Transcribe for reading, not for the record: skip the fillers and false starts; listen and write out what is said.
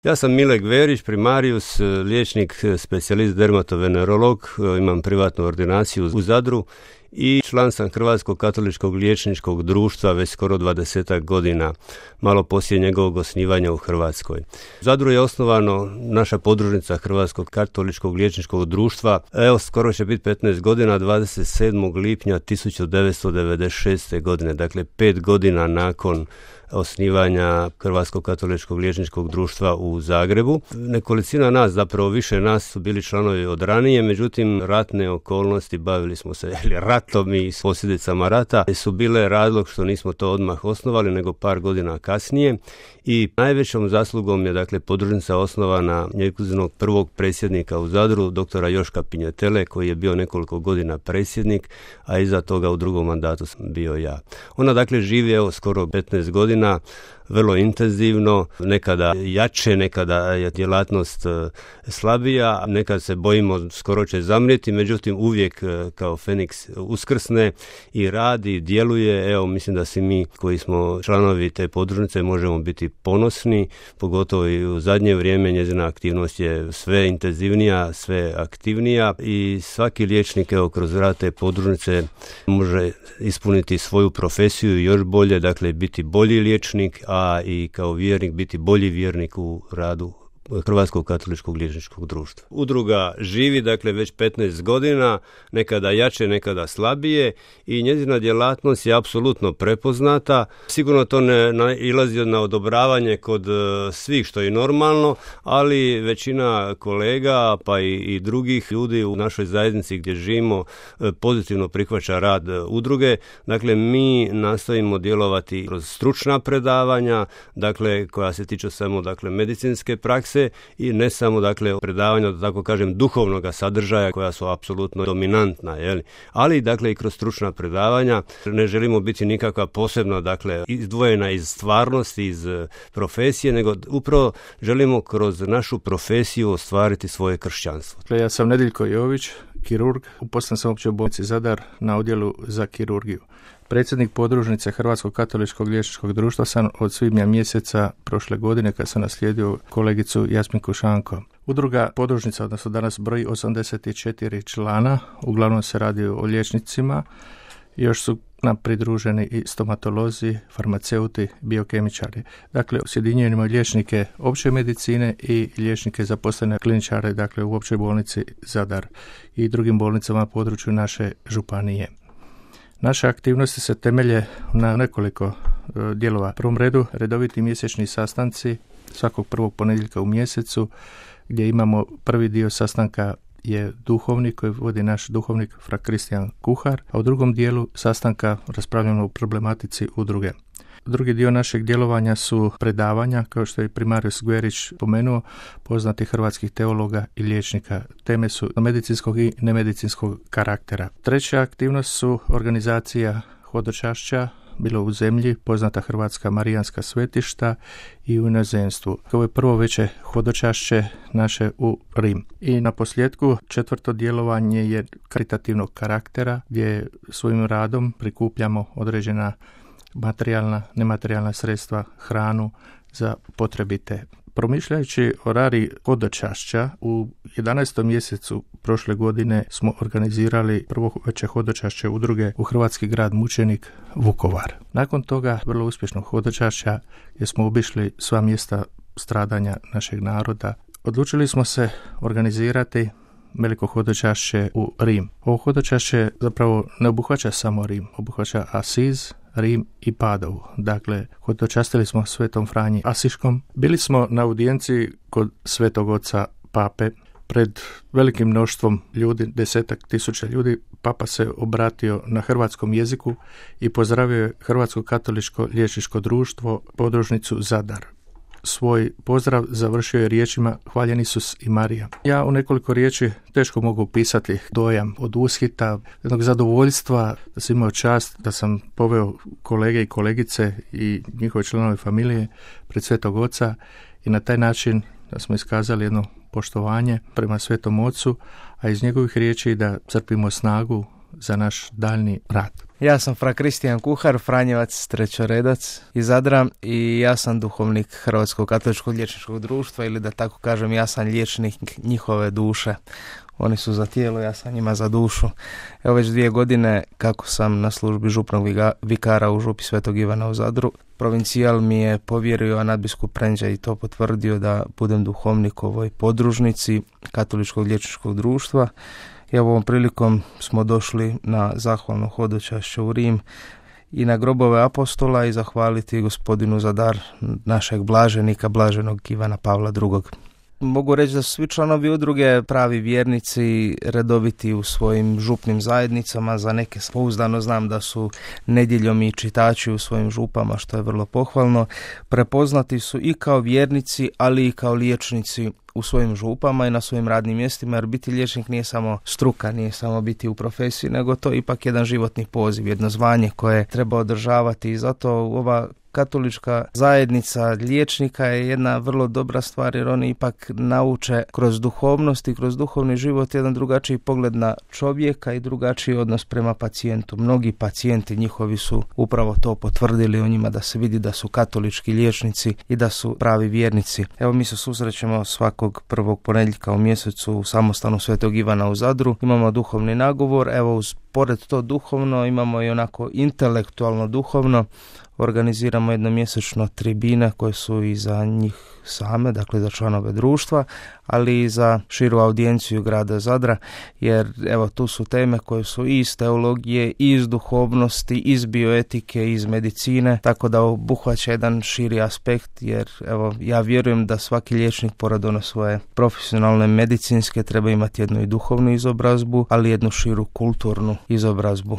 Ja sam Mile Gverić, primarius, liječnik, specijalist dermatovenerolog, imam privatnu ordinaciju u Zadru i član sam Hrvatskog katoličkog liječničkog društva već skoro 20 godina, malo poslije njegovog osnivanja u Hrvatskoj. U Zadru je osnovano naša podružnica Hrvatskog katoličkog liječničkog društva, skoro će biti 15 godina, 27. lipnja 1996. godine, dakle 5 godina nakon osnivanja Hrvatskog katoličkog liječničkog društva u Zagrebu. Nekolicina nas, zapravo više nas su bili članovi od ranije, međutim ratne okolnosti, bavili smo se ratom i s posljedicama rata, su bile razlog što nismo to odmah osnovali, nego par godina kasnije. I najvećom zaslugom je dakle podružnica osnovana njezinog prvog predsjednika u Zadru, doktora Joška Pinjetele, koji je bio nekoliko godina predsjednik, a iza toga u drugom mandatu sam bio ja. Ona dakle živi skoro 15 godina, vrlo intenzivno, nekada jače, nekada je djelatnost slabija, nekad se bojimo skoro će zamrijeti, međutim uvijek kao Feniks uskrsne i radi, djeluje. Mislim da svi mi koji smo članovi te podružnice možemo biti ponosni, pogotovo i u zadnje vrijeme njezina aktivnost je sve intenzivnija, sve aktivnija i svaki liječnik kroz rad te podružnice može ispuniti svoju profesiju još bolje, dakle biti bolji liječnik, a i kao vjernik biti bolji vjernik u radu Hrvatskog katoličkog liječničkog društva. Udruga živi dakle već 15 godina, nekada jače, nekada slabije i njezina djelatnost je apsolutno prepoznata. Sigurno to ne nailazi na odobravanje kod svih, što je normalno, ali većina kolega pa i drugih ljudi u našoj zajednici gdje živimo pozitivno prihvaća rad udruge. Dakle, mi nastojimo djelovati kroz stručna predavanja, dakle koja se tiču samo medicinske prakse i ne samo predavanja, da tako kažem, duhovnog sadržaja koja su apsolutno dominantna, ali i kroz stručna predavanja. Ne želimo biti nikakva posebna izdvojena iz stvarnosti, iz profesije, nego upravo želimo kroz našu profesiju ostvariti svoje kršćanstvo. Ja sam Nediljko Jović, kirurg, uposlen sam u Općoj bolnici Zadar na odjelu za kirurgiju. Predsjednik podružnice Hrvatskog katoličkog liječničkog društva sam od svibnja mjeseca prošle godine kad sam naslijedio kolegicu Jasminku Šanko. Udruga podružnica, odnosno danas broji 84 člana, uglavnom se radi o liječnicima, još su nam pridruženi i stomatolozi, farmaceuti, biokemičari. Dakle, sjedinjujemo liječnike opće medicine i liječnike zaposlene kliničare, dakle u Općoj bolnici Zadar i drugim bolnicama na području naše županije. Naše aktivnosti se temelje na nekoliko dijelova. U prvom redu redoviti mjesečni sastanci svakog prvog ponedjeljka u mjesecu, gdje imamo prvi dio sastanka je duhovnik koji vodi naš duhovnik Fra Kristijan Kuhar, a u drugom dijelu sastanka raspravljamo o problematici udruge. Drugi dio našeg djelovanja su predavanja, kao što je primarius Gverić pomenuo, poznati hrvatskih teologa i liječnika. Teme su medicinskog i nemedicinskog karaktera. Treća aktivnost su organizacija hodočašća, bilo u zemlji, poznata Hrvatska marijanska svetišta i u inozemstvu. Ovo je prvo veće hodočašće naše u Rim. I na posljedku četvrto djelovanje je karitativnog karaktera, gdje svojim radom prikupljamo određena materijalna, nematerijalna sredstva, hranu za potrebite. Promišljajući o rari hodočašća, u 11. mjesecu prošle godine smo organizirali prvo veće hodočašće udruge u hrvatski grad mučenik Vukovar. Nakon toga vrlo uspješnog hodočašća gdje smo obišli sva mjesta stradanja našeg naroda, odlučili smo se organizirati veliko hodočašće u Rim. Ovo hodočašće zapravo ne obuhvaća samo Rim, obuhvaća Asiz, Rim i Padovu. Dakle, hodočastili smo Svetom Franji Asiškom. Bili smo na audijenciji kod Svetog Oca Pape. Pred velikim mnoštvom ljudi, 10.000 ljudi, Papa se obratio na hrvatskom jeziku i pozdravio je Hrvatsko katoličko liječničko društvo, podružnicu Zadar. Svoj pozdrav završio je riječima Hvaljen Isus i Marija. Ja u nekoliko riječi teško mogu opisati dojam od ushita, jednog zadovoljstva da sam imao čast, da sam poveo kolege i kolegice i njihove članove familije pred Svetog Oca i na taj način da smo iskazali jedno poštovanje prema Svetom Ocu, a iz njegovih riječi da crpimo snagu za naš daljni rad. Ja sam fra Kristijan Kuhar, Franjevac, trećoredac iz Zadra i ja sam duhovnik Hrvatskog katoličkog liječničkog društva, ili da tako kažem, ja sam liječnik njihove duše. Oni su za tijelo, ja sam njima za dušu. Evo već 2 godine kako sam na službi župnog vikara u župi Svetog Ivana u Zadru. Provincijal mi je povjerio, a nadbiskup Prendža i to potvrdio, da budem duhovnik ovoj podružnici Katoličkog liječničkog društva. I ovom prilikom smo došli na zahvalno hodočašće u Rim i na grobove apostola i zahvaliti gospodinu za dar našeg blaženika, blaženog Ivana Pavla II. Mogu reći da su svi članovi udruge pravi vjernici, redoviti u svojim župnim zajednicama. Za neke pouzdano znam da su nedjeljom i čitači u svojim župama, što je vrlo pohvalno. Prepoznati su i kao vjernici, ali i kao liječnici u svojim župama i na svojim radnim mjestima, jer biti liječnik nije samo struka, nije samo biti u profesiji, nego to je ipak jedan životni poziv, jedno zvanje koje treba održavati i zato ova katolička zajednica liječnika je jedna vrlo dobra stvar, jer oni ipak nauče kroz duhovnost i kroz duhovni život jedan drugačiji pogled na čovjeka i drugačiji odnos prema pacijentu. Mnogi pacijenti njihovi su upravo to potvrdili o njima, da se vidi da su katolički liječnici i da su pravi vjernici. Evo, mi se susrećemo svakog prvog ponedjeljka u mjesecu u samostanu Svetog Ivana u Zadru. Imamo duhovni nagovor, evo pored to duhovno imamo i onako intelektualno duhovno. Organiziramo jednomjesečno tribine koje su i za njih same, dakle za članove društva, ali i za širu audijenciju grada Zadra, jer evo tu su teme koje su i iz teologije, i iz duhovnosti, iz bioetike, iz medicine, tako da obuhvaća jedan širi aspekt, jer evo ja vjerujem da svaki liječnik pored ono svoje profesionalne medicinske treba imati jednu i duhovnu izobrazbu, ali jednu širu kulturnu izobrazbu.